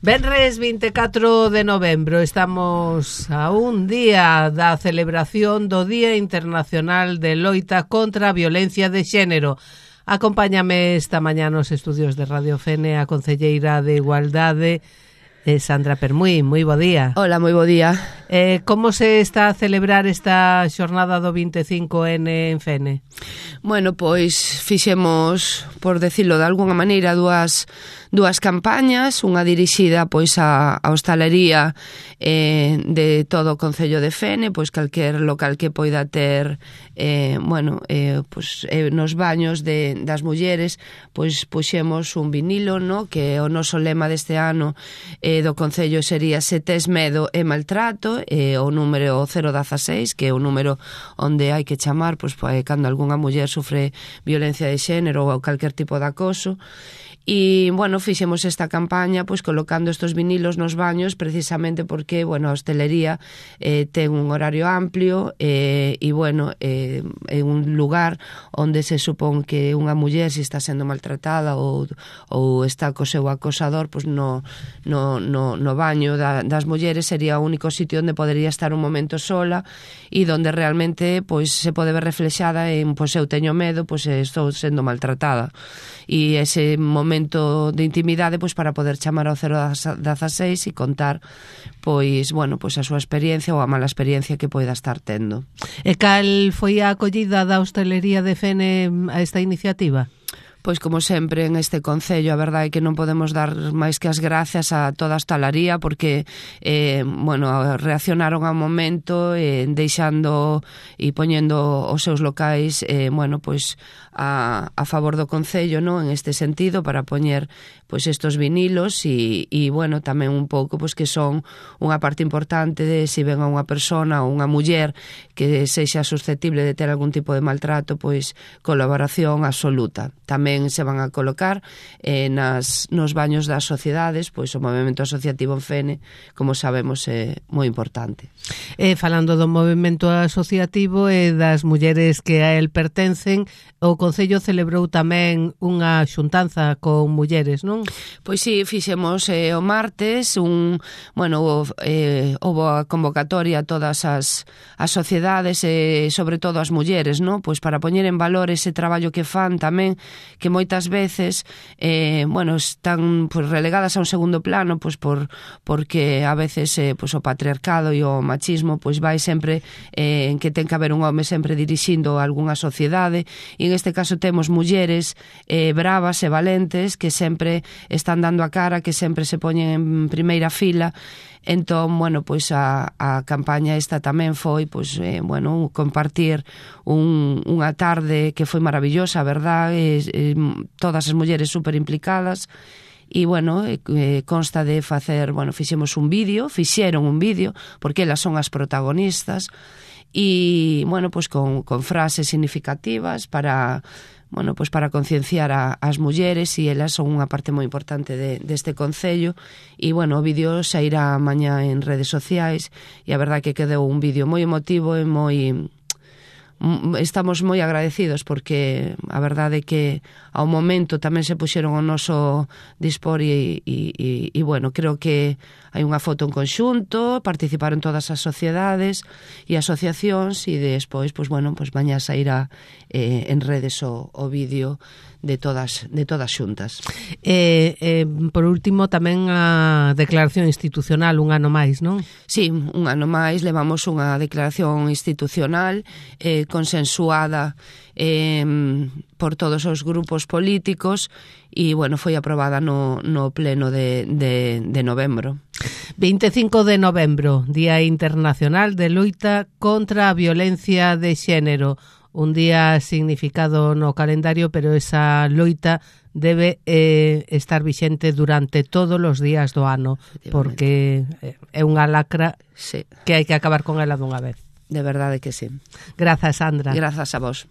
Venres 24 de novembro, estamos a un día da celebración do Día Internacional de Loita contra a Violencia de Xénero. Acompáñame esta mañá nos estudios de Radio Fene a concelleira de Igualdade, Sandra Permuy. Moi bo día. Hola, moi bo día. Como se está a celebrar esta xornada do 25N en Fene? Bueno, pois fixemos, por decirlo de alguna maneira, dúas campañas, unha dirixida pois a hostalería de todo o Concello de Fene, pois calquer local que poida ter nos baños das mulleres, pois puxemos un vinilo, no, que o noso lema deste ano do Concello sería "Se tes medo e maltrato", o número 016, que é o número onde hai que chamar pois cando algunha muller sufre violencia de xénero ou calquer tipo de acoso. E, bueno, fixemos esta campaña pois colocando estos vinilos nos baños precisamente porque, bueno, a hostelería ten un horario amplio e, bueno, é un lugar onde se supón que unha muller se está sendo maltratada ou está co seu acosador, pois no baño das mulleres sería o único sitio onde podería estar un momento sola e onde realmente pois se pode ver reflexada en pois eu teño medo, pois estou sendo maltratada. E ese momento de intimidade pois para poder chamar ao 016 e contar pois, bueno, pois a súa experiencia ou a mala experiencia que poida estar tendo. E cal foi a acollida da hostelería de Fene a esta iniciativa? Pois como sempre en este Concello, a verdade é que non podemos dar máis que as gracias a toda a hostalaría porque, reaccionaron ao momento deixando e poñendo os seus locais, a favor do Concello, no, en este sentido, para poñer pois estos vinilos e bueno, tamén un pouco pois que son unha parte importante de se ven a unha persona ou unha muller que sexa susceptible de ter algún tipo de maltrato, pois colaboración absoluta. Tamén se van a colocar nos baños das sociedades, pois o movimento asociativo en Fene, como sabemos, é moi importante. Falando do movimento asociativo e das mulleres que a el pertencen, o Concello celebrou tamén unha xuntanza con mulleres, non? Pois sí, fixemos o martes houve a convocatoria a todas as sociedades e sobre todo as mulleres, non? Pois para poñer en valor ese traballo que fan tamén, que moitas veces están pois relegadas a un segundo plano, pois porque a veces pois o patriarcado e o machismo pois vai sempre en que ten que haber un home sempre dirixindo algunha sociedade e en este caso temos mulleres bravas e valentes que sempre están dando a cara, que sempre se poñen en primeira fila. Entón, pois a campaña esta tamén foi, compartir unha tarde que foi maravillosa, a verdade, todas as mulleres super implicadas. E, consta de facer, fixeron un vídeo, porque elas son as protagonistas, e, con frases significativas para concienciar as mulleres e elas son unha parte moi importante deste Concello e, o vídeo sairá mañá en redes sociais e a verdade que quedou un vídeo moi emotivo e estamos moi agradecidos porque a verdade é que ao momento tamén se puxeron o noso dispor e creo que hai unha foto en conxunto, participaron todas as sociedades e asociacións e despois, mañá sairá en redes o vídeo de todas xuntas. Por último, tamén a declaración institucional, un ano máis, non? Sí, un ano máis, levamos unha declaración institucional consensuada por todos os grupos políticos e, foi aprobada no pleno de novembro. 25 de novembro, Día Internacional de Loita contra a Violencia de Xénero. Un día significado no calendario, pero esa loita debe estar vixente durante todos os días do ano, porque é unha lacra que hai que acabar con ela dunha vez. De verdade que sí. Grazas, Sandra. Grazas a vos.